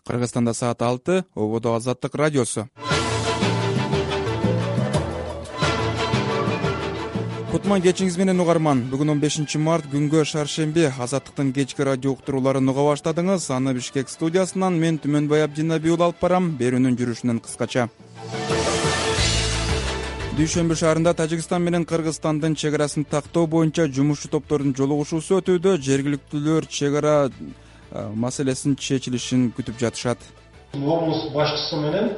Кыргызстанда саат 6, ободо Азаттык радиосу. Кутман кечиңиз менен угарман. Бүгүн 15 март күнгө шаршемби. Азаттыктын кечки радио уктурууларын уга баштадыңыз. Аны Бишкек студиясынан мен Түмөнбай Абдинаби уулу алып барам. Берүүнүн жүрүшүнөн кыскача. Дүйшөмбү шаарында Тажикстан менен Кыргызстандын чек арасын тактоо боюнча жумушчу топтордун жолугушуусу өтүүдө. Жергиликтүүлөр чек ара маселесинин чечилишин күтүп жатышат. Облус башчысы менен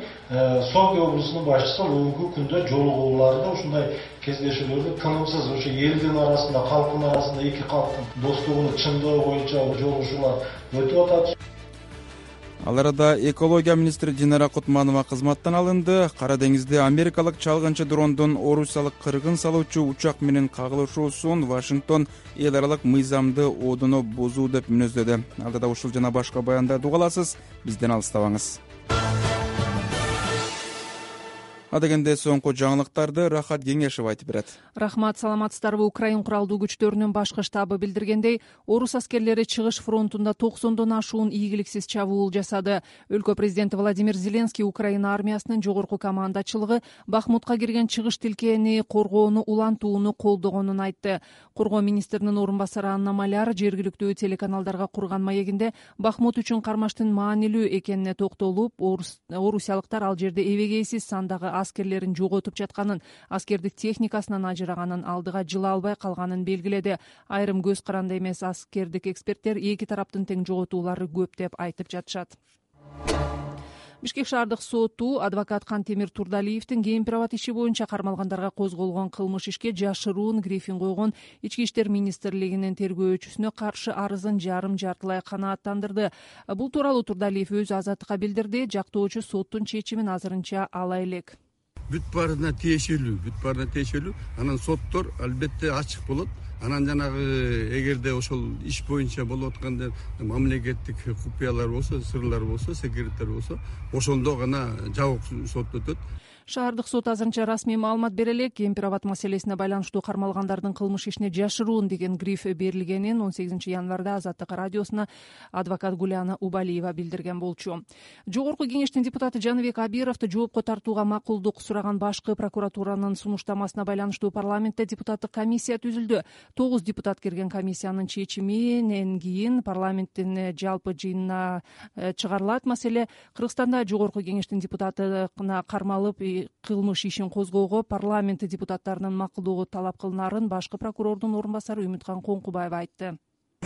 Сооке облусунун башчысы бүгүнкү күндө жолугууларда ушундай кездешүүлөрдү тынымсыз ошо элдин арасында, калктын арасында эки калктын достугунун чындыгы боюнча жолугушуулар өтүп атат. Ал арада экология министри Динара Кутманова кызматтан алынды. Кара деңизде америкалык чалгынчы дрондун орусиялык кыргын салуучу учак менен кагылышуусун Вашингтон эл аралык мыйзамды одоно бузуу деп мүнөздөдү. Алдыда ушул жана башка баяндарды уга аласыз. Бизден алыстабаңыз. Адегенде соңку жаңылыктарды Рахат Кеңешев айтып берет. Рахмат, саламатсыздарбы? Украин куралдуу күчтөрүнүн башкы штабы билдиргендей, орус аскерлери чыгыш фронтунда 90дон ашуун ийгиликсиз чабуул жасады. Өлкө президенти Владимир Зеленский Украина армиясынын жогорку командачылыгы Бахмутка кирген чыгыш тилкени коргоону улантууну колдогонун айтты. Коргоо министринин орун басары Анна Маляр жергиликтүү телеканалдарга курган маегинде Бахмут үчүн кармаштын маанилүү экенине токтолуп, орусиялыктар ал жерде эбегейсиз сандагы аскерлерин жоготуп жатканын, аскердик техникасынан ажыраганын, алдыга жыла албай калганын белгиледи. Айрым көз каранды эмес аскердик эксперттер эки тараптын тең жоготуулары көп деп айтып жатышат. Бишкек шаардык соту адвокат Кантемир Турдалиевдин Кемпир-Абад иши боюнча кармалгандарга козголгон кылмыш ишке жашыруун грифин койгон Ички иштер министрлигинин тергөөчүсүнө каршы арызын жарым-жартылай канааттандырды. Бул тууралуу Турдалиев өзү Азаттыкка билдирди. Жактоочу соттун чечимин азырынча ала элек. Бүт баарына тиешелүү. Анан соттор албетте ачык болот. Анан жанагы эгерде ошол иш боюнча болуп атканда мамлекеттик купуялар болсо, сырлар болсо, секреттер болсо, ошондо гана жабык сот өтөт. Шаардык сот азырынча расмий маалымат бере элек. Кемпир-Абад маселесине байланыштуу кармалгандардын кылмыш ишине жашыруун деген гриф берилгенин 18 январда Азаттык радиосуна адвокат Гуляна Убалиева билдирген болчу. Жогорку кеңештин депутаты Жаныбек Абировду жоопко тартууга макулдук сураган башкы прокуратуранын сунуштамасына байланыштуу парламентте депутаттык комиссия түзүлдү. 9 депутат кирген комиссиянын чечиминен кийин парламенттин жалпы жыйынына чыгарылат. Маселе Кыргызстанда жогорку кеңештин депутатына кармалып кылмыш ишин козгоого парламент депутаттарынын макулдугу талап кылынарын башкы прокурордун орун басары Үмүткан Коңкубаева айтты.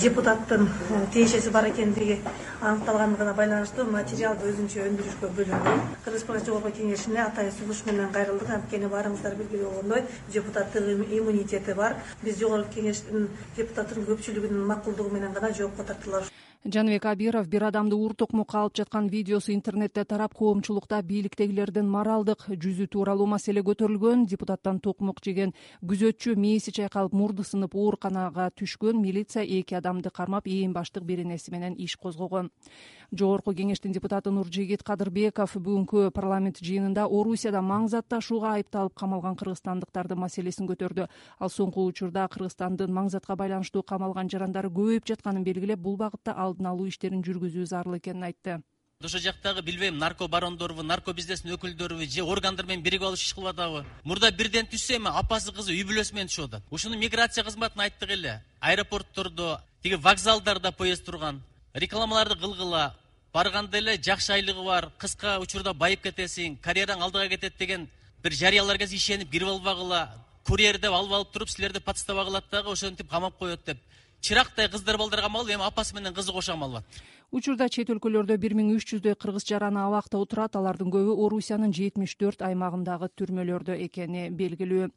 Депутаттын тиешеси бар экендиги аныкталгандыгына байланыштуу материалды өзүнчө өндүрүшкө бөлүнгөн. Кыргыз жогорку кеңешине атайын сунуш менен кайрылдык. Анткени баарыңыздар билгиле болгондой, депутаттык иммунитети бар. Биз жогорку кеңештин депутаттын көпчүлүгүнүн макулдугу менен гана жоопко тартылабыз. Жаныбек Абиров бир адамды уур токмокко алып жаткан видеосу интернетте тарап, коомчулукта бийликтегилердин моралдык жүзү тууралуу маселе көтөрүлгөн. Депутаттан токмок жеген күзөтчү мээси чайкалып, мурду сынып ооруканага түшкөн. Милиция эки адамды кармап, ээн баштык беренеси менен иш козгогон. Жогорку кеңештин депутаты Нуржигит Кадырбеков бүгүнкү парламент жыйынында Орусияда маң зат ташууга айыпталып камалган кыргызстандыктардын маселесин көтөрдү. Ал соңку учурда Кыргызстандын маң затка байланыштуу камалган жарандары көбөйүп жатканын белгилеп, бул багытта алдын алуу иштерин жүргүзүү зарыл экенин айтты. Ошол жактагы билбейм, нарко барондорбу, нарко бизнестин өкүлдөрүбү же органдар менен биригип алып иш кылып атабы? Мурда бирден түшсө эми апасы кызы үй бүлөсү менен түшүп атат. Ушуну миграция кызматына айттык эле. Аэропорттордо, тиги вокзалдарда поезд турган, рекламаларды кылгыла, барганда эле жакшы айлыгы бар, кыска учурда байып кетесиң, карьераң алдыга кетет деген бир жарыяларга ишенип кирип албагыла, курьер деп алып туруп силерди подставагылат дагы ошентип камап коет деп. Чырактай кыздар балдар камалып, эми апасы менен кызы кошо камалып атат. Учурда чет өлкөлөрдө 1300дөй кыргыз жараны абакта отурат. Алардын көбү Орусиянын 74 аймагындагы түрмөлөрдө экени белгилүү.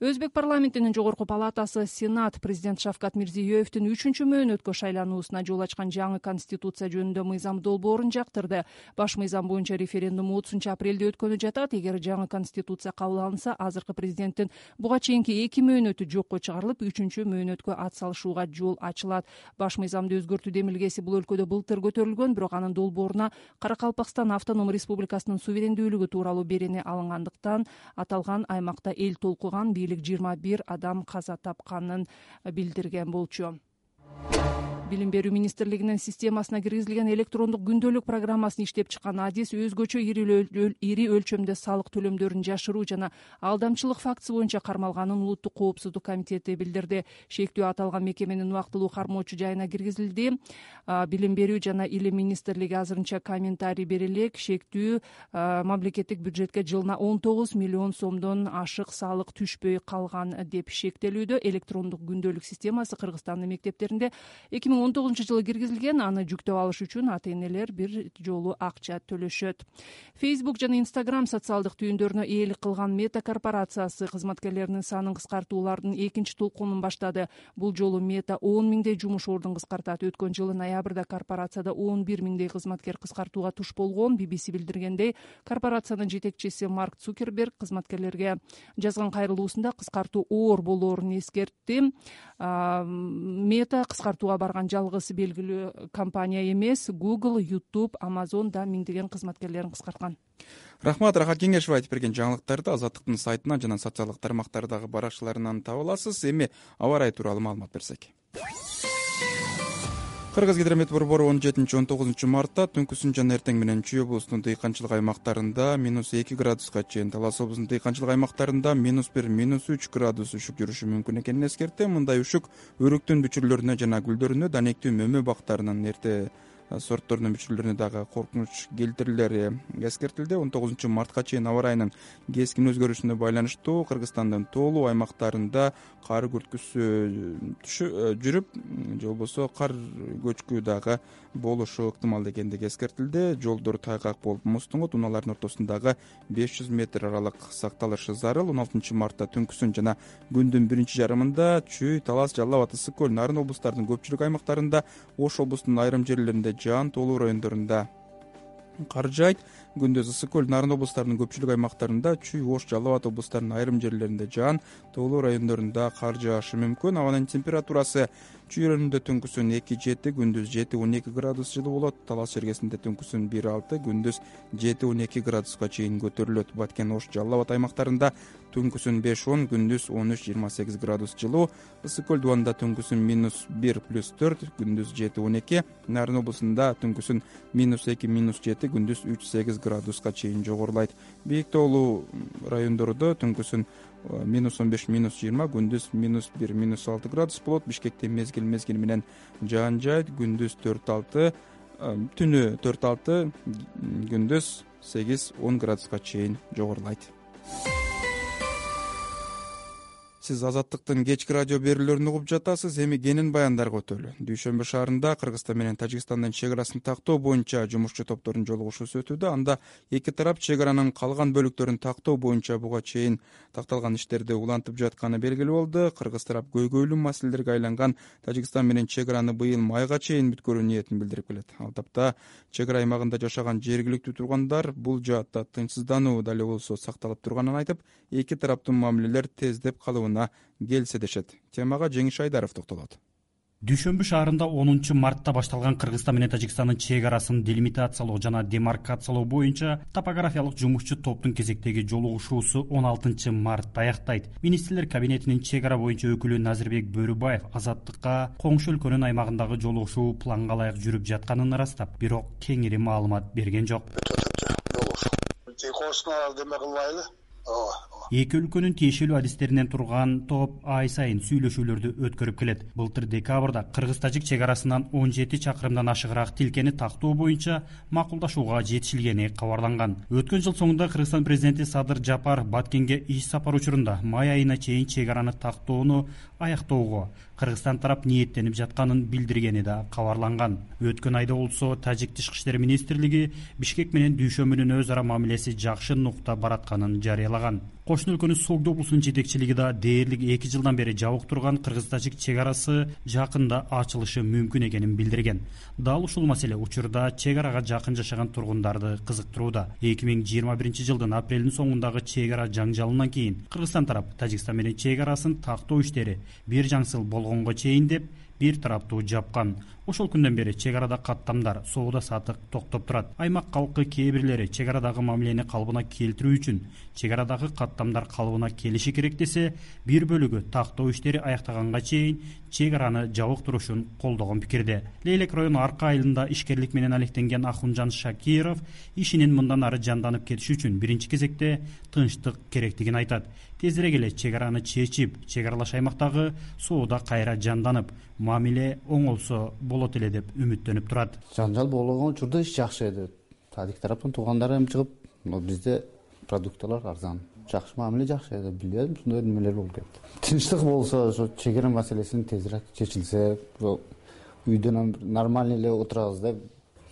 Өзбек парламентинин жогорку палатасы Сенат президент Шавкат Мирзиёевдин 3-чү мөөнөткө шайлануусуна жол ачкан жаңы конституция жөнүндө мыйзам долбоорун жактырды. Баш мыйзам боюнча референдум 30-апрелде өткөнү жатат. Эгер жаңы конституция кабыл алынса, азыркы президенттин буга чейинки 2 мөөнөтү жокко чыгарылып, 3-чү мөөнөткө ат салышууга жол ачылат. Баш мыйзамды өзгөртүү демилгеси бул өлкөдө былтыр көтөрүлгөн, бирок анын долбооруна Каракалпакстан автоном республикасынын суверендүүлүгү тууралуу берене алынгандыктан аталган аймакта эл толкуган. Бийлик 21 адам каза тапканын билдирген болчу. Билим берүү министрлигинин системасына киргизилген электрондук күндөлүк программасын иштеп чыккан адис өзгөчө ири өлчөмдө салык төлөмдөрүн жашыруу жана алдамчылык фактысы боюнча кармалганын улуттук коопсуздук комитети билдирди. Шектүү аталган мекеменин убактылуу кармоочу жайына киргизилди. Билим берүү жана илим министрлиги азырынча комментарий бере элек. Шектүү мамлекеттик бюджетке жылына 19 миллион сомдон ашык салык түшпөй калган деп шектелүүдө. Электрондук күндөлүк системасы Кыргызстандын мектептеринде 2019-жылы киргизилген. Аны жүктөп алыш үчүн ата-энелер бир жолу акча төлөшөт. Facebook жана Instagram социалдык түйүндөрүнө ээлик кылган Мета корпорациясы кызматкерлеринин санын кыскартуулардын экинчи толкунун баштады. Бул жолу Мета 10 миңдей жумуш ордун кыскартат. Өткөн жылы ноябрда корпорацияда 11 миңдей кызматкер кыскартууга туш болгон. BBC билдиргендей, корпорациянын жетекчиси Марк Цукерберг кызматкерлерге жазган кайрылуусунда кыскартуу оор болоорун эскертти. Мета кыскартууга барган жалгыз белгилүү компания эмес. Google, YouTube, Amazon да миңдеген кызматкерлерин кыскарткан. Рахмат, Рахат Кеңешова айтып берген жаңылыктарды Азаттыктын сайтынан жана социалдык тармактардагы баракчаларынан таба аласыз. Эми аба ырайы тууралуу маалымат берсек. Кыргыз гидромет борбору 17-19 мартта түнкүсүн жана эртең менен Чүй облусунун дыйканчылык аймактарында -2 градуска чейин, Талас облусунун дыйканчылык аймактарында -1, -3 градус үшүк жүрүшү мүмкүн экенин эскертти. Мындай үшүк өрүктүн бүчүрлөрүнө жана гүлдөрүнө, данектүү мөмө бактарынын эрте сортторунун бүчүрлөрүнө дагы коркунуч келтирилери эскертилди. 19 мартка чейин аба ырайынын кескин өзгөрүшүнө байланыштуу Кыргызстандын тоолуу аймактарында кар күрткүсү жүрүп, же болбосо кар көчкү дагы болушу ыктымал экендиги эскертилди. Жолдор тайгак болуп муздуңот, унаалардын ортосундагы 500 метр аралык сакталышы зарыл. 16 мартта түнкүсүн жана күндүн биринчи жарымында Чүй, Талас, Жалал Абад, Ысык көл, Нарын облустарынын көпчүлүк аймактарында, Ош облусунун айрым жерлеринде жаан, тоолуу райондорунда кар жаайт. Күндүз Ысык көл, Нарын облустарынын көпчүлүк аймактарында, Чүй, Ош, Жалал Абад облустарынын айрым жерлеринде жаан, тоолуу райондорунда кар жаашы мүмкүн. Абанын температурасы Чүй районунда түнкүсүн 2-7, күндүз 7-12 градус жылуу болот. Талас жергесинде түнкүсүн 1-6, күндүз 7-12 градуска чейин көтөрүлөт. Баткен, Ош, Жалал Абад аймактарында түнкүсүн 5-10, күндүз 13-28 градус жылуу. Ысык көл дубанында түнкүсүн -1+4, күндүз 7-12. Нарын облусунда түнкүсүн -2-7, күндүз 3-8 градуска чейин жогорулайт. Бийик тоолуу райондордо түнкүсүн -15-20, күндүз -1-6 градус болот. Бишкекте мезгил менен жаан жаайт. Күндүз 4-6, түнү 4-6, күндүз 8-10 градуска чейин жогорулайт. Сиз Азаттыктын кечки радио берүүлөрүн угуп жатасыз. Эми кенен баяндарга өтөлү. Дүйшөмбү шаарында Кыргызстан менен Тажикстандын чек арасын тактоо боюнча жумушчу топтордун жолугушуусу өтүүдө. Анда эки тарап чек аранын калган бөлүктөрүн тактоо боюнча буга чейин такталган иштерди улантып жатканы белгилүү болду. Кыргыз тарап көйгөйлүү маселелерге айланган Тажикстан менен чек араны быйыл майга чейин бүткөрүү ниетин билдирип келет. Ал тапта чек ара аймагында жашаган жергиликтүү тургундар бул жаатта тынчсыздануу дале болсо сакталып турганын айтып, эки тараптын мамилелер тездеп калыбына келсе дешет. Темага Жеңиш Айдаров токтолот. Дүйшөмбү шаарында 10 мартта башталган Кыргызстан менен Тажикстандын чек арасын делимитациялоо жана демаркациялоо боюнча топографиялык жумушчу топтун кезектеги жолугушуусу 16 мартта аяктайт. Министрлер кабинетинин чек ара боюнча өкүлү Назирбек Бөрүбаев Азаттыкка коңшу өлкөнүн аймагындагы жолугушуу планга ылайык жүрүп жатканын ырастап, бирок кеңири маалымат берген жок. Эки өлкөнүн тиешелүү адистеринен турган топ ай сайын сүйлөшүүлөрдү өткөрүп келет. Былтыр декабрда Кыргыз-Тажик чек арасынан 17 чакырымдан ашыгыраак тилкени тактоо боюнча макулдашууга жетишилгени кабарланган. Өткөн жыл соңунда Кыргызстан президенти Садыр Жапаров Баткенге иш сапар учурунда май айына чейин чек араны тактоону аяктоого Кыргызстан тарап ниеттенип жатканын билдиргени да кабарланган. Өткөн айда болсо Тажик тышкы иштер министрлиги Бишкек менен Дүйшөмбүнүн өз ара мамилеси жакшы нукта баратканын жарыялаган. Кошуна өлкөнүн Согду облусунун жетекчилиги да дээрлик 2 жылдан бери жабык турган Кыргыз-Тажик чек арасы жакында ачылышы мүмкүн экенин билдирген. Дал ушул маселе учурда чек арага жакын жашаган тургундарды кызыктырууда. 2021 жылдын апрелдин соңундагы чек ара жаңжалынан кийин Кыргызстан тарап Тажикстан менен чек арасын тактоо иштери бир жаңсыл болгонго чейин деп бир тараптуу жапкан. Ошол күндөн бери чек арада каттамдар, соода сатык токтоп турат. Аймак калкы кээ бирлери чек арадагы мамилени калыбына келтирүү үчүн чек арадагы каттамдар калыбына келиши керек десе, бир бөлүгү тактоо иштери аяктаганга чейин чек араны жабык турушун колдогон пикирде. Лейлек району Арка айылында ишкерлик менен алектенген Ахунжан Шакиров ишинин мындан ары жанданып кетиши үчүн биринчи кезекте тынчтык керектигин айтат. Тезирээк эле чек араны чечип, чек аралаш аймактагы соода кайра жанданып, мамиле оңолсо болот эле деп үмүттөнүп турат. Жанжал болгон учурда иш жакшы эди. Тадик тараптан туугандары эми чыгып, бизде продукталар арзан. Жакшы мамиле жакшы эди. Билбедим, ушундай немелер болуп кетти. Тынчтык болсо, ошо чек ара маселесин тезирээк чечилсе, үйдөн нормально эле отурабыз да,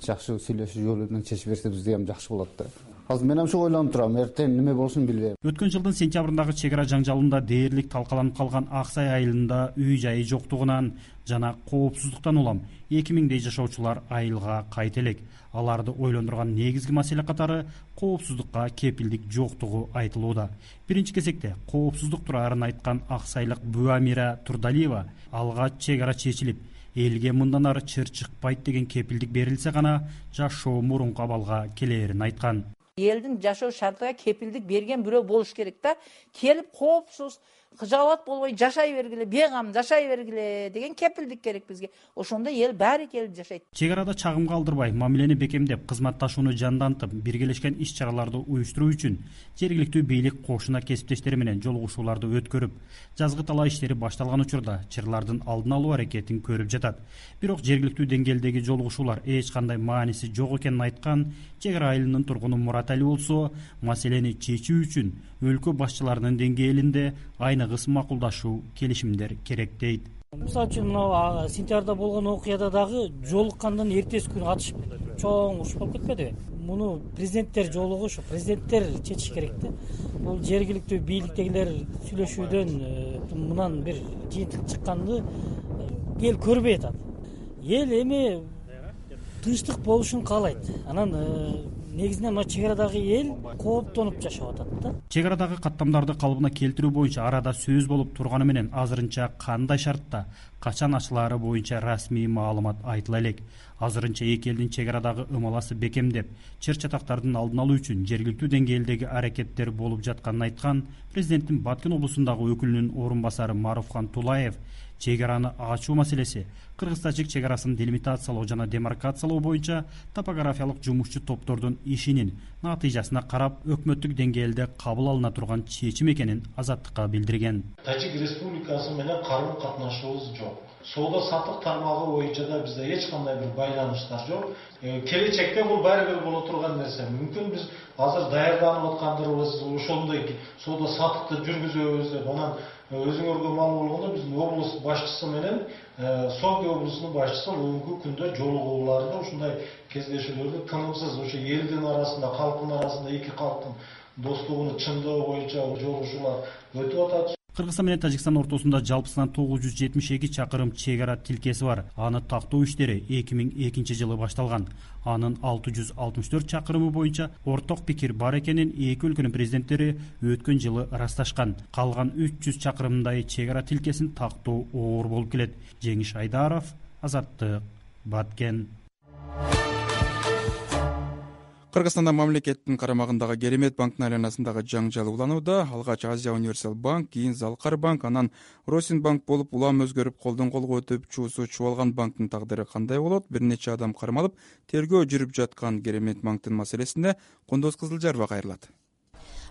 жакшы сүйлөшүү жолу менен чечип берсебиз дегем жакшы болот да. Азыр мен ошо ойлонуп турам, эртең неме болушун билбейм. Өткөн жылдын сентябрындагы чек ара жаңжалында дээрлик талкаланып калган Аксай айылында үй жайы жоктугунан жана коопсуздуктан улам 2000дей жашоочулар айылга кайта элек. Аларды ойлондурган негизги маселе катары коопсуздукка кепилдик жоктугу айтылууда. Биринчи кезекте коопсуздук тураарын айткан аксайлык Буамира Турдалиева алгач чек ара чечилип, элге мындан ары чыр чыкпайт деген кепилдик берилсе гана жашоо мурунку абалга келээрин айткан. Элдин жашоо шартыга кепилдик берген бирөө болуш керек да. Келип коопсуз, кыжаабат болбой жашай бергиле, бейгам жашай бергиле деген кепилдик керек бизге. Ошондо эл баары келип жашайт. Чек арада чагым калтырбай, мамилени бекемдеп, кызматташууну жандантып, биргелешкен иш-чараларды уюштуруу үчүн жергиликтүү бийлик кошуна кесиптештери менен жолугушууларды өткөрүп, жазгы талаа иштери башталган учурда чырлардын алдын алуу аракетин көрүп жатат. Бирок жергиликтүү деңгээлдеги жолугушуулар эч кандай мааниси жок экенин айткан чек ара айылынын тургуну Мурат Али болсо, маселени чечүү үчүн өлкө башчыларынын деңгээлинде айныгыс макулдашуу, келишимдер керек дейт. Мисалы үчүн мына сентябрда болгон окуяда дагы жолуккандан эртеси күнү атышып чоң уруш болуп кетпедиби? Муну президенттер жолугу ушу президенттер чечиш керек да. Бул жергиликтүү бийликтегилер сүйлөшүүдөн мындан бир жыйынтык чыкканды эл көрбөй атат. Эл эми тынчтык болушун каалайт. Анан негизинен мына чек арадагы эл кооптонуп жашап атат да. Чек арадагы каттамдарды калыбына келтирүү боюнча арада сөз болуп турганы менен азырынча кандай шартта, качан ачылаары боюнча расмий маалымат айтыла элек. Азырынча эки элдин чек арадагы ымаласы бекемдеп, чыр чатактардын алдын алуу үчүн жергиликтүү деңгээлдеги аракеттер болуп жатканын айткан президенттин Баткен облусундагы өкүлүнүн орун басары Маруфхан Тулаев чек араны ачуу маселеси кыргыз-тажик чек арасын делимитациялоо жана демаркациялоо боюнча топографиялык жумушчу топтордун ишинин натыйжасына карап өкмөттүк деңгээлде кабыл алына турган чечим экенин Азаттыкка билдирген. Тажик Республикасы менен карым катнашуубуз жок. Соода сатык тармагы боюнча да бизде эч кандай бир байланыштар жок. Келечекте бул баары бир боло турган нерсе. Мүмкүн биз азыр даярданып аткандарыбыз ошондой соода сатыкты жүргүзөбүз деп анан өзүңөргө маалым болгондо биздин облус башчысы менен Сомги облусунун башчысы бүгүнкү күндө жолугууларды ушундай кездешүүлөрдү тынымсыз ошо элдин арасында, калктын арасында эки калктын достугуну чындоо боюнча жолугушуулар өтүп атат. Кыргызстан менен Тажикстан ортосунда жалпысынан 972 чакырым чек ара тилкеси бар. Аны тактоо иштери 2002 жылы башталган. Анын 664 чакырымы боюнча орток пикир бар экенин эки өлкөнүн президенттери өткөн жылы ырасташкан. Калган 300 чакырымдай чек ара тилкесин тактоо оор болуп келет. Жеңиш Айдаров, Азаттык, Баткен. Кыргызстанда мамлекеттин карамагындагы Керемет банктын айланасындагы жаңжал уланууда. Алгач Азия Универсал банк, кийин Залкар банк, анан Росинбанк болуп улам өзгөрүп колдон колго өтүп чуусу чубалган банктын тагдыры кандай болот? Бир нече адам кармалып, тергөө жүрүп жаткан Керемет банктын маселесине Кундуз Кызылжарова кайрылат.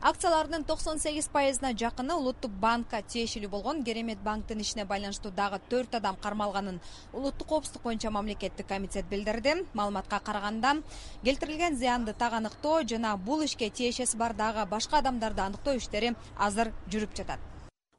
Акцияларынын 98%-на жакыны Улуттук банкка тиешелүү болгон Керемет банктын ишине байланыштуу дагы 4 адам кармалганын Улуттук коопсуздук боюнча мамлекеттик комитет билдирди. Маалыматка караганда, келтирилген зыянды так аныктоо жана бул ишке тиешеси бар дагы башка адамдарды аныктоо иштери азыр жүрүп жатат.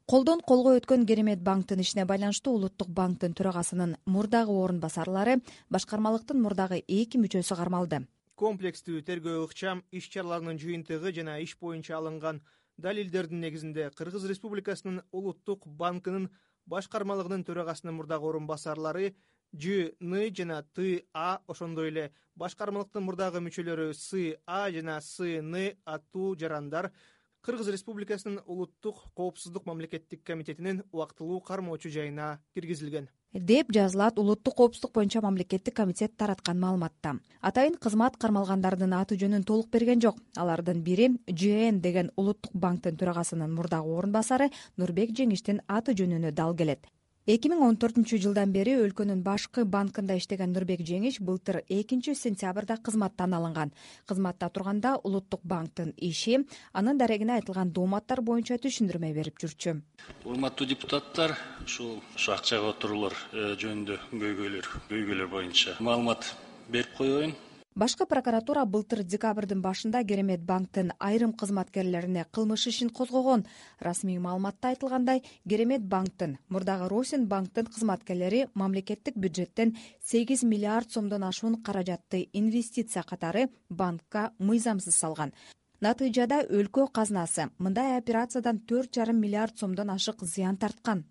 Колдон колго өткөн Керемет банктын ишине байланыштуу Улуттук банктын төрагасынын мурдагы орун басарлары, башкармалыктын мурдагы 2 мүчөсү кармалды. Комплекстүү тергөө ыкчам иш-чараларынын жыйынтыгы жана иш боюнча алынган далилдердин негизинде Кыргыз Республикасынын Улуттук банкынын башкармалыгынын төрагасынын мурдагы орун басарлары Ж.Н. жана Т.А. ошондой эле башкармалыктын мурдагы мүчөлөрү С.А. жана С.Н. аттуу жарандар Кыргыз Республикасынын улуттук коопсуздук мамлекеттик комитетинин убактылуу кармоочу жайына киргизилген деп жазылат улуттук коопсуздук боюнча мамлекеттик комитет тараткан маалыматта. Атайын кызмат кармалгандардын аты жөнүн толук берген жок. Алардын бири ЖН деген улуттук банктын төрагасынын мурдагы орун басары Нурбек Жеңиштин аты жөнүнө дал келет. 2014 жылдан бери өлкөнүн башкы банкында иштеген Нурбек Жеңиш былтыр 2 сентябрда кызматтан алынган. Кызматта турганда улуттук банктын иши анын дарегине айтылган дооматтар боюнча түшүндүрмө берип жүрчү. Урматтуу депутаттар, ушул акчага отуруулар жөнүндө көйгөйлөр боюнча маалымат берип коеюн. Башкы прокуратура былтыр декабрдын башында Керемет банктын айрым кызматкерлерине кылмыш ишин козгогон. Расмий маалыматта айтылгандай, Керемет банктын, мурдагы Росин банктын кызматкерлери мамлекеттик бюджеттен 8 миллиард сомдон ашуун каражатты инвестиция катары банкка мыйзамсыз салган. Натыйжада өлкө казнасы мындай операциядан 4,5 миллиард сомдон ашык зыян тарткан.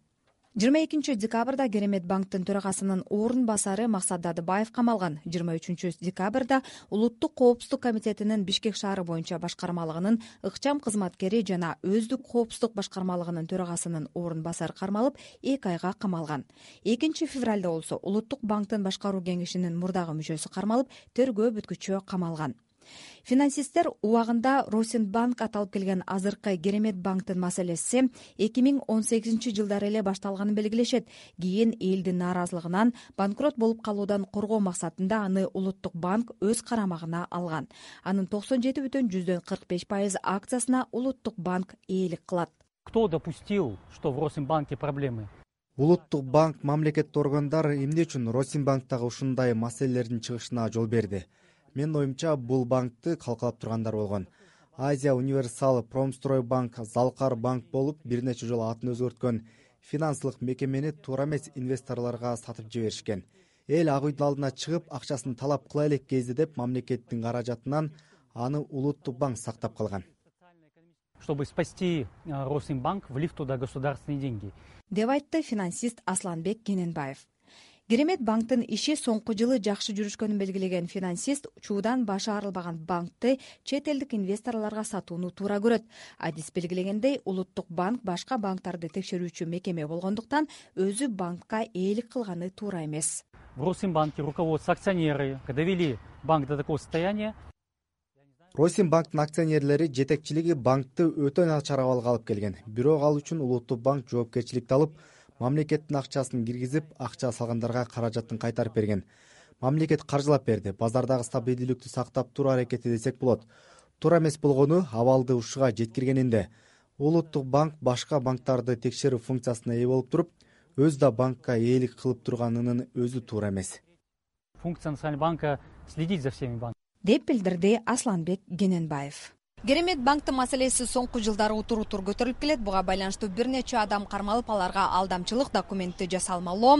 22 декабрда Керемет банктын төрагасынын орун басары Максат Дадыбаев камалган. 23 декабрда улуттук коопсуздук комитетинин Бишкек шаары боюнча башкармалыгынын ыкчам кызматкери жана өздүк коопсуздук башкармалыгынын төрагасынын орун басары кармалып 2 айга камалган. 2 февралда болсо улуттук банктын башкаруу кеңешинин мурдагы мүчөсү кармалып, тергөө бүткүчү камалган. Финансисттер убагында Росинбанк аталып келген азыркы Керемет банктын маселеси 2018 жылдары эле башталганын белгилешет. Кийин элдин нааразылыгынан банкрот болуп калуудан коргоо максатында аны улуттук банк өз карамагына алган. Анын 97,45% акциясына улуттук банк ээлик кылат. Кто допустил, что в Росинбанке проблемы? Улуттук банк мамлекеттик органдар эмне үчүн Росинбанктагы ушундай маселелердин чыгышына жол берди? Менин оюмча, бул банкты калкалап тургандар болгон. Азия Универсал Промстройбанк Залкар банк болуп, бир нече жолу атын өзгөрткөн финансылык мекемени туура эмес инвесторлорго сатып жиберишкен. Эл ак үйдүн алдына чыгып, акчасын талап кыла элек кезде деп мамлекеттин каражатынан аны улуттук банк сактап калган. Чтобы спасти Росинбанк, влив туда государственные деньги. Деп айтты финансист Асланбек Кененбаев. Керемет банктын иши соңку жылы жакшы жүрүшкөнүн белгилеген финансист чуудан башы арылбаган банкты чет элдик инвесторлорго сатууну туура көрөт. Адис белгилегендей, улуттук банк башка банктарды текшерүүчү мекеме болгондуктан өзү банкка ээлик кылганы туура эмес. В Росинбанке руководство, акционеры довели банк до такого состояния. Росинбанктын акционерлери жетекчилиги банкты өтө начар абалга алып келген. Бирок ал үчүн улуттук банк жоопкерчиликти алып, мамлекеттин акчасын киргизип, акча салгандарга каражатын кайтарып берген. Мамлекет каржылап берди. Базардагы стабилдүүлүктү сактап туруу аракети десек болот. Туура эмес болгону абалды ушуга жеткиргенинде. Улуттук банк башка банктарды текшерүү функциясына ээ болуп туруп, өз да банкка ээлик кылып турганынын өзү туура эмес. Функция Национального банка следить за всеми банками. Деп билдирди Асланбек Кененбаев. Керемет банктын маселеси соңку жылдары утур-утур көтөрүлүп келет. Буга байланыштуу бир нече адам кармалып, аларга алдамчылык документти жасалмалоо,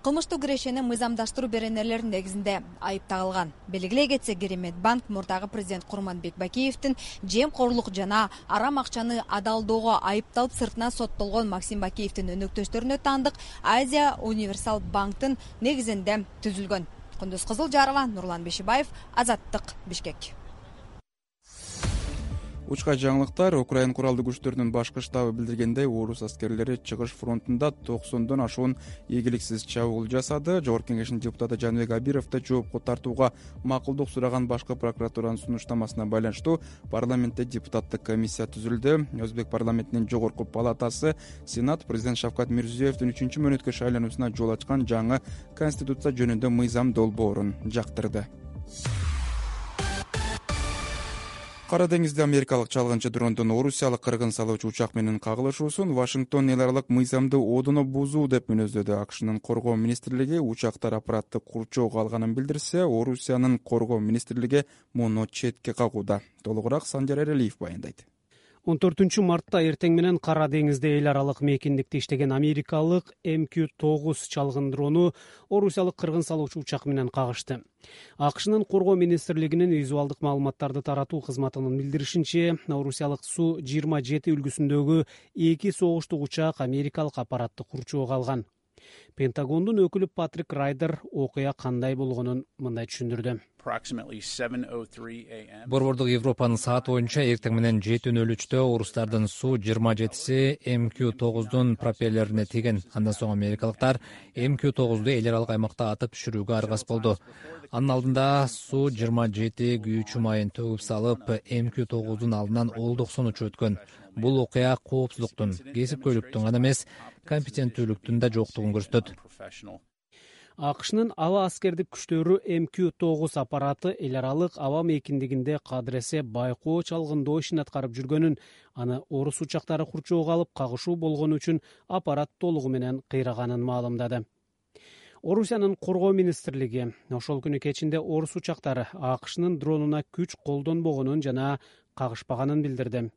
кылмыштуу кирешени мыйзамдаштыруу беренелеринин негизинде айып тагылган. Белгилей кетсек, Керемет банк мурдагы президент Курманбек Бакиевдин жемкорлук жана арам акчаны адалдоого айыпталып сыртынан соттолгон Максим Бакиевдин өнөктөштөрүнө таандык Азия Универсал банктын негизинде түзүлгөн. Кундуз Кызылжарова, Нурлан Бешибаев, Азаттык, Бишкек. Учка жаңылыктар. Украин куралдуу күчтөрүнүн башкы штабы билдиргендей, орус аскерлери чыгыш фронтунда 90дон ашуун ийгиликсиз чабуул жасады. Жогорку кеңештин депутаты Жаныбек Абировду жоопко тартууга макулдук сураган башкы прокуратуранын сунуштамасына байланыштуу парламентте депутаттык комиссия түзүлдү. Өзбек парламентинин жогорку палатасы Сенат президент Шавкат Мирзиёевдин 3-мөөнөткө шайлануусуна жол ачкан жаңы конституция жөнүндө мыйзам долбоорун жактырды. Кара деңизде америкалык чалгынчы дрондун орусиялык кыргын салуучу учак менен кагылышуусун Вашингтон эл аралык мыйзамды одоно бузуу деп мүнөздөдү. АКШнын коргоо министрлиги учактар аппаратты курчоого алганын билдирсе, Орусиянын коргоо министрлиги муну четке кагууда. Толугураак Санжар Эрелиев баяндайт. 14 мартта эртең менен Кара деңизде эл аралык мейкиндикте иштеген америкалык МК-9 чалгын дрону орусиялык кыргын салуучу учак менен кагышты. АКШнын коргоо министрлигинин визуалдык маалыматтарды таратуу кызматынын билдиришинче, орусиялык Су-27 үлгүсүндөгү 2 согуштук учак америкалык аппаратты курчоого алган. Пентагондун өкүлү Патрик Райдер окуя кандай болгонун мындай түшүндүрдү. Борбордук Европанын сааты боюнча эртең менен 7:03 орустардын Су-27си МК-9дун пропеллерине тийген. Андан соң америкалыктар МК-9ду эл аралык аймакта атып түшүрүүгө аргасыз болду. Анын алдында Су-27 күйүүчү майын төгүп салып, МК-9дун алдынан Ол-90 учуп өткөн. Бул окуя коопсуздуктун, кесипкөйлүктүн гана эмес, компетенттүүлүктүн да жоктугун көрсөтөт. АКШнын аба аскердик күчтөрү МК-9 аппараты эл аралык аба мейкиндигинде кадыресе байкоо чалгындоо ишин аткарып жүргөнүн, аны орус учактары курчоого алып кагышуу болгону үчүн аппарат толугу менен кыйраганын маалымдады. Орусиянын коргоо министрлиги ошол күнү кечинде орус учактары АКШнын дронуна күч колдонбогонун жана кагышпаганын билдирди.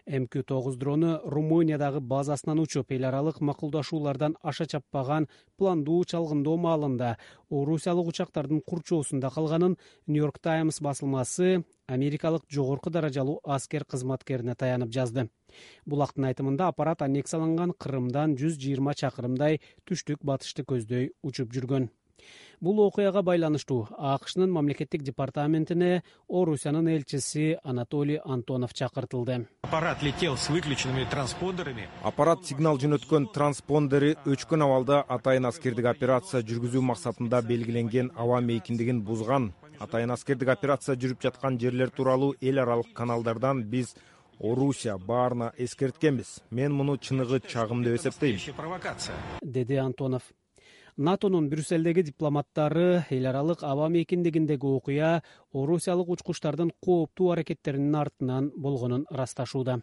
МК-9 дрону Румыниядагы базасынан учуп, эл аралык макулдашуулардан аша чаппаган пландуу чалгындоо маалында орусиялык учактардын курчоосунда калганын Нью-Йорк Таймс басылмасы америкалык жогорку даражалуу аскер кызматкерине таянып жазды. Булактын айтымында аппарат аннексияланган Крымдан 120 чакырымдай түштүк батышты көздөй учуп жүргөн. Бул окуяга байланыштуу АКШнын мамлекеттик департаментине Орусиянын элчиси Анатолий Антонов чакыртылды. Аппарат летел с выключенными транспондерами. Аппарат сигнал жөнөткөн транспондери өчкөн абалда атайын аскердик операция жүргүзүү максатында белгиленген аба мейкиндигин бузган. Атайын аскердик операция жүрүп жаткан жерлер тууралуу эл аралык каналдардан биз Орусия баарына эскерткенбиз. Мен муну чыныгы чагым деп эсептейм, деди Антонов. НАТОнун Брюсселдеги дипломаттары эл аралык аба мейкиндигиндеги окуя орусиялык учкучтардын кооптуу аракеттеринин артынан болгонун ырасташууда.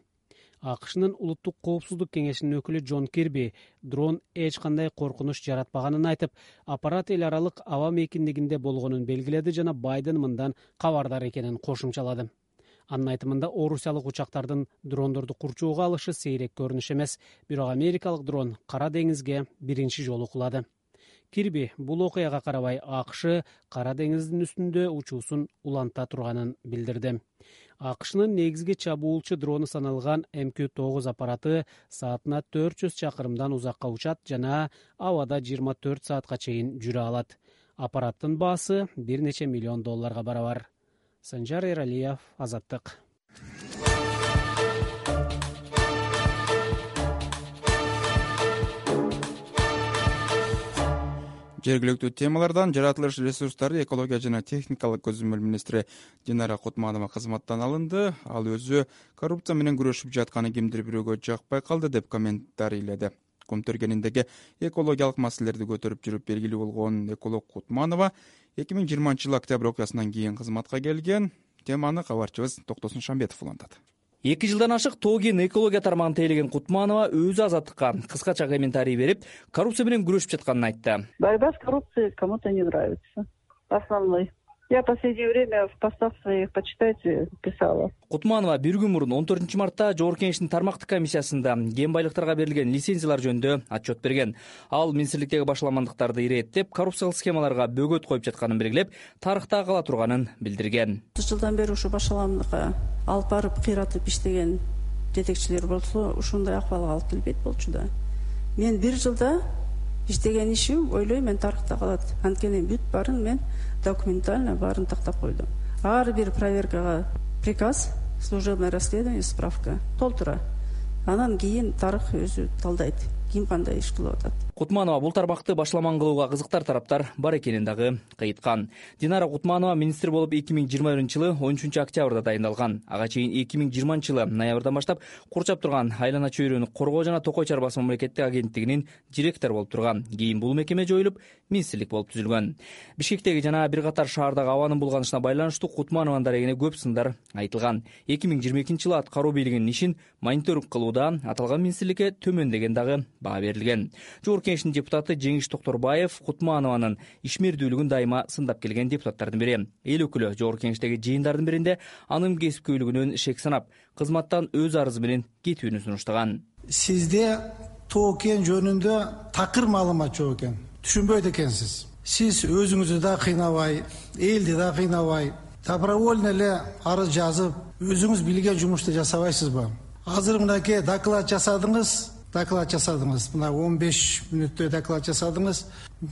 АКШнын улуттук коопсуздук кеңешинин өкүлү Джон Кирби дрон эч кандай коркунуч жаратпаганын айтып, аппарат эл аралык аба мейкиндигинде болгонун белгиледи жана Байден мындан кабардар экенин кошумчалады. Анын айтымында орусиялык учактардын дрондорду курчоого алышы сейрек көрүнүш эмес, бирок америкалык дрон Кара деңизге биринчи жолу кулады. Кирби бул окуяга карабай АКШ Кара деңиздин үстүндө учуусун уланта турганын билдирди. АКШнын негизги чабуулчу дрону саналган МК-9 аппараты саатына 400 чакырымдан узакка учат жана абада 24 саатка чейин жүрө алат. Аппараттын баасы бир нече миллион долларга барабар. Санжар Эралиев, Азаттык. Жергиликтүү темалардан жаратылыш ресурстары, экология жана техникалык көзөмөл министри Динара Кутманова кызматтан алынды. Ал өзү коррупция менен күрөшүп жатканы кимдир бирөөгө жакпай калды деп комментарийледи. Көмтөргениндеги экологиялык маселелерди көтөрүп жүрүп белгилүү болгон эколог Кутманова 2020 октябрь окуясынан кийин кызматка келген. Теманы кабарчыбыз Токтосун Шамбетов улантат. 2 жылдан ашык Тоген экология тармагын тейлеген Кутманова өзү Азаттыкка кыскача комментарий берип, коррупция менен күрөшүп жатканын айтты. Борьба с коррупцией кому-то не нравится. Основной. Я в последнее время в постах своих, почитайте, писала. Кутманова бир күн мурун 14 мартта Жогорку Кеңештин тармактык комиссиясында кен байлыктарга берилген лицензиялар жөнүндө отчет берген. Ал министрликтеги башаламандыктарды иреттеп, коррупциялык схемаларга бөгөт коюп жатканын белгилеп, тарыхта кала турганын билдирген. 30 жылдан бери ушу башаламдыкка алып барып кыйратып иштеген жетекчилер болсо, ушундай акыбалга алып келбейт болчу да. Мен бир жылда иштеген ишим, ойлойм, мен тарыхта калат. Анткени бүт барын мен документально барын тактап койдум. Ар бир проверкага приказ, служебное расследование, справка толтура. Анан кийин тарых өзү талдайт, ким кандай иш кылып атат. Кутманова бул тармакты башаламан кылууга кызыктар тараптар бар экенин дагы кыйткан. Динара Кутманова министр болуп 2021-жылы 13 октябрда дайындалган. Ага чейин 2020-жылы ноябрдан баштап курчап турган айлана чөйрөнү коргоо жана токой чарбасы мамлекеттик агенттигинин директору болуп турган. Кийин бул мекеме жоюлуп, министрлик болуп түзүлгөн. Бишкектеги жана бир катар шаардагы абанын булганышына байланыштуу Кутманованын дарегине көп сындар айтылган. 2022-жылы аткаруу бийлигинин ишин мониторинг кылууда аталган министрликке төмөн дагы баа берилген. Жогорку Кеңештин депутаты Жеңиш Токторбаев Кутманованын ишмердүүлүгүн дайыма сындап келген депутаттардын бири. Эл өкүлү Жогорку Кеңештеги жыйындардын биринде анын кесипкөйлүгүнөн шек санап, кызматтан өз арызы менен кетүүнү сунуштаган. Сизде Токен жөнүндө такыр маалымат жок экен. Түшүнбөйт экенсиз. Сиз өзүңүздү да кыйнабай, элди да кыйнабай, добровольно эле арыз жазып, өзүңүз билген жумушту жасабайсызбы? Азыр мынакей доклад жасадыңыз, доклад жасадыңыз. Мына 15 мүнөттө доклад жасадыңыз.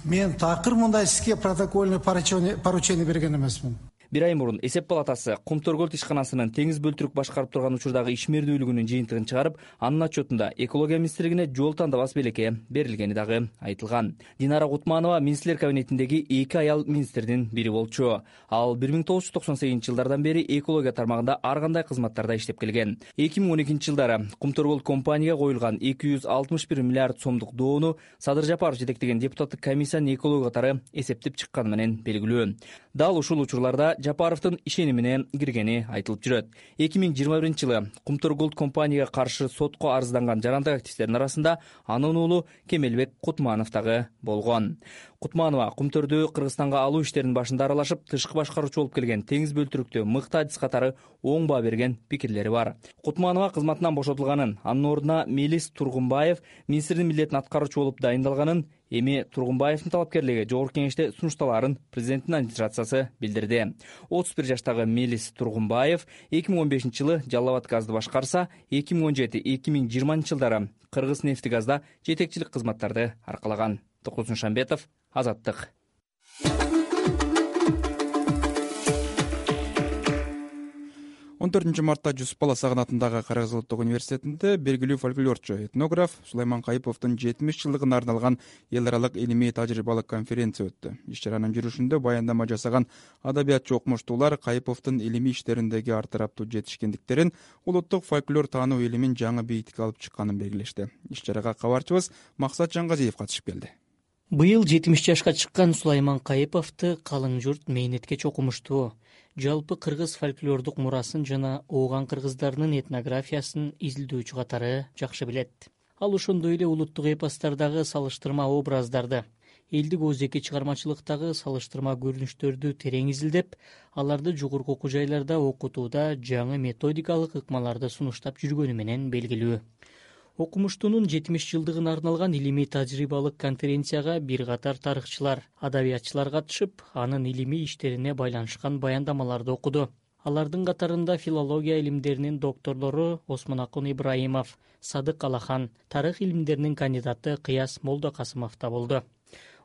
Мен такыр мындай сизге протокольный поручение берген эмесмин. Бир ай мурун эсеп палатасы Кумтөргөлд ишканасынын теңиз бөлтүрүк башкарып турган учурдагы ишмердүүлүгүнүн жыйынтыгын чыгарып, анын отчетунда экология министрлигине жол тандабас белекке берилгени дагы айтылган. Динара Кутманова министрлер кабинетиндеги 2 аял министрдин бири болчу. Ал 1998-жылдардан бери экология тармагында ар кандай кызматтарда иштеп келген. 2012-жылдары Кумтөргөлд компанияга коюлган 261 миллиард сомдук доону Садыр Жапаров жетектеген депутаттык комиссиянын экология катары эсептеп чыкканы менен белгилүү. Дал ушул учурларда Жапаровдун ишенимине киргени айтылып жүрөт. 2021-жылы Кумтөргөлд компанияга каршы сотко арызданган жарандык активисттердин арасында анын уулу Кемелбек Кутманов дагы болгон. Кутманова Кумтөрдү Кыргызстанга алуу иштеринин башында аралашып, тышкы башкаруучу болуп келген теңиз бөлтүрүктү мыкты адис катары оң баа берген пикирлери бар. Кутманова кызматынан бошотулганын, анын ордуна Мелис Тургунбаев министрдин милдетин аткаруучу болуп дайындалганын, эми Тургунбаевдин талапкерлиги жогорку кеңеште сунушталаарын президенттин администрациясы билдирди. 31 жаштагы Мелис Тургунбаев 2015-жылы Жалал Абад газды башкарса, 2017-2020 жылдары Кыргыз нефтигазда жетекчилик кызматтарды аркалаган. Токосун Шамбетов, Азаттык. 14 мартта Жусуп Бала Сагын атындагы Кыргыз улуттук университетинде белгилүү фольклорчу, этнограф Сулайман Кайыповдун 70 жылдыгына арналган эл аралык илимий тажрыйбалык конференция өттү. Иш чаранын жүрүшүндө баяндама жасаган адабиятчы окумуштуулар Кайыповдун илимий иштериндеги артыраптуу жетишкендиктерин, улуттук фольклор таануу илимин жаңы бийикке алып чыкканын белгилешти. Иш чарага кабарчыбыз Максат Жангазиев катышып келди. Быйыл 70 жашка чыккан Сулайман Кайыповду калың журт мээнеткеч окумуштуу. Жалпы кыргыз фольклордук мурасын жана ооган кыргыздарынын этнографиясын изилдөөчү катары жакшы билет. Ал ошондой эле улуттук эпостардагы салыштырма образдарды, элдик оозеки чыгармачылыктагы салыштырма көрүнүштөрдү терең изилдеп, аларды жогорку окуу жайларда окутууда жаңы методикалык ыкмаларды сунуштап жүргөнү менен белгилүү. Окумуштуунун 70 жылдыгына арналган илимий тажрыйбалык конференцияга бир катар тарыхчылар, адабиятчылар катышып, анын илимий иштерине байланышкан баяндамаларды окуду. Алардын катарында филология илимдеринин докторлору Осмонакун Ибраимов, Садык Алахан, тарых илимдеринин кандидаты Кыяс Молдокасымов да болду.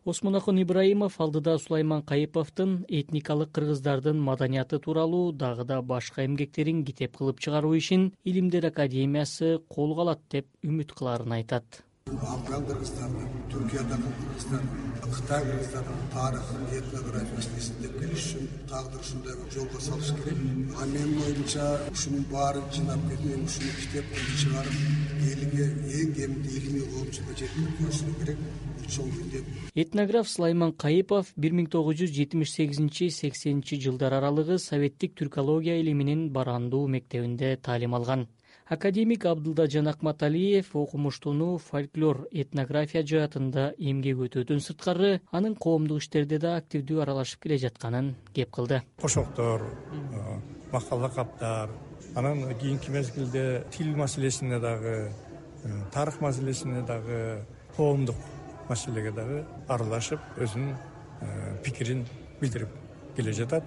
Осмонакун Ибраимов алдыда Сулайман Кайыповдун этникалык кыргыздардын маданияты тууралуу дагы да башка эмгектерин китеп кылып чыгаруу ишин Илимдер академиясы колго алат деп үмүт кыларын айтат. Афган кыргыздардын, Түркиядагы кыргыздардын, Кытай кыргыздардын тарыхын, этнографиясын эстеп келиш үчүн тагдыр ушундай жолго салыш керек. Менин оюмча ушунун баарын жыйнап келип, ушуну китеп кылып чыгарып, элге эң кеминде илимий коомчулукка жеткирип коюшу керек. Этнограф Сулайман Кайыпов 1978-80 жылдар аралыгы советтик түркология илиминин Барандуу мектебинде таалим алган. Академик Абдылдажан Акматалиев окумуштууну фольклор этнография жаатында эмгек өтөөдөн сырткары анын коомдук иштерде да активдүү аралашып келе жатканын кеп кылды. Кошоктор, макал лакаптар, анан кийинки мезгилде тил маселесине дагы, тарых маселесине дагы, коомдук маселеге дагы аралашып, өзүнүн пикирин билдирип келе жатат.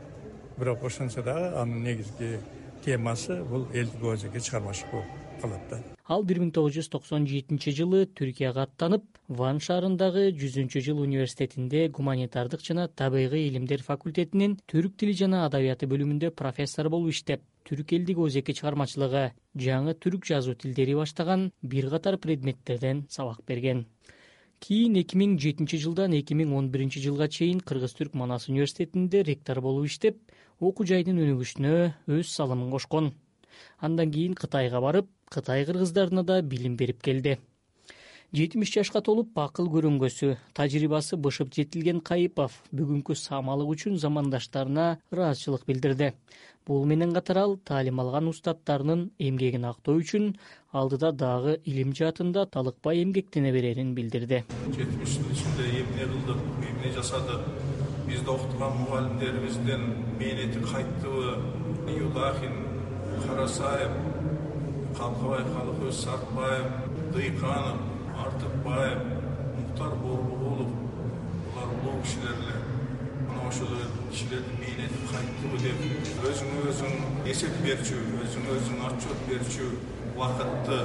Бирок ошончо дагы анын негизги темасы бул элдик оозеки чыгармачы болуп калат да. Ал 1997 жылы Түркияга аттанып, Ван шаарындагы 100-жыл университетинде гуманитардык жана табигый илимдер факультетинин түрк тили жана адабияты бөлүмүндө профессор болуп иштеп, түрк элдик оозеки чыгармачылыгы, жаңы түрк жазуу тилдери баштаган бир катар предметтерден сабак берген. Кийин 2007 жылдан 2011 жылга чейин Кыргыз-Түрк Манас университетинде ректор болуп иштеп, окуу жайдын өнүгүшүнө өз салымын кошкон. Андан кийин Кытайга барып, Кытай кыргыздарына да билим берип келди. 70 жашка толуп акыл көрөнгөсү, тажрыйбасы бышып жетилген Кайыпов бүгүнкү самалык үчүн замандаштарына ыраазычылык билдирди. Бул менен катар ал таалим алган устаттарынын эмгегин актоо үчүн алдыда дагы илим жаатында талыкпай эмгектене берерин билдирди. 70 жыл ичинде эмне кылдык, эмне жасадык, бизди окутуган мугалимдерибиздин мээнети кайттыбы, Юлахин, Карасаев, Калкыбай Калыкөз Сартбаев, Дыйканов, Артыкбаев, Муктар Борбугулов, булар улуу кишилер эле. Мына ошол кишилердин мээнети кайттыбы деп өзүң эсеп берчү, өзүң отчет берчү убакытты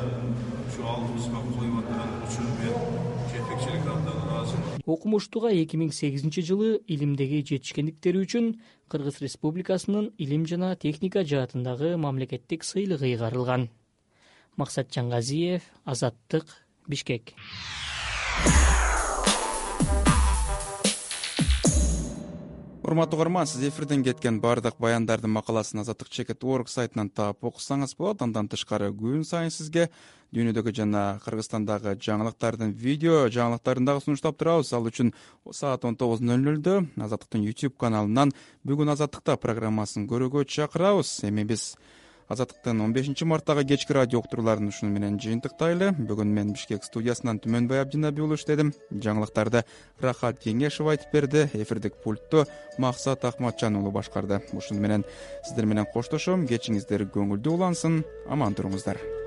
ушу алдыбызга коюп аткан үчүн мен жетекчилик абдан ыраазымын. Окумуштууга 2008 жылы илимдеги жетишкендиктери үчүн Кыргыз Республикасынын илим жана техника жаатындагы мамлекеттик сыйлыгы ыйгарылган. Максат Жаңгазиев, Азаттык, Бишкек. Урматтуу угарман, сиз эфирден кеткен баардык баяндардын макаласын Азаттык.org сайтынан таап окусаңыз болот. Андан тышкары күн сайын сизге дүйнөдөгү жана Кыргызстандагы жаңылыктардын видео жаңылыктарын дагы сунуштап турабыз. Ал үчүн саат 19:00 Азаттыктын YouTube каналынан бүгүн Азаттыкта программасын көрүүгө чакырабыз. Эми биз Азаттыктын 15 марттагы кечки радио уктурууларын ушуну менен жыйынтыктайлы. Бүгүн мен Бишкек студиясынан Түмөнбай Абдинаби уулу иштедим. Жаңылыктарды Рахат Кеңешов айтып берди. Эфирдик пультту Максат Акматжан уулу башкарды. Ушуну менен сиздер менен коштошом. Кечиңиздер көңүлдүү улансын. Аман туруңуздар.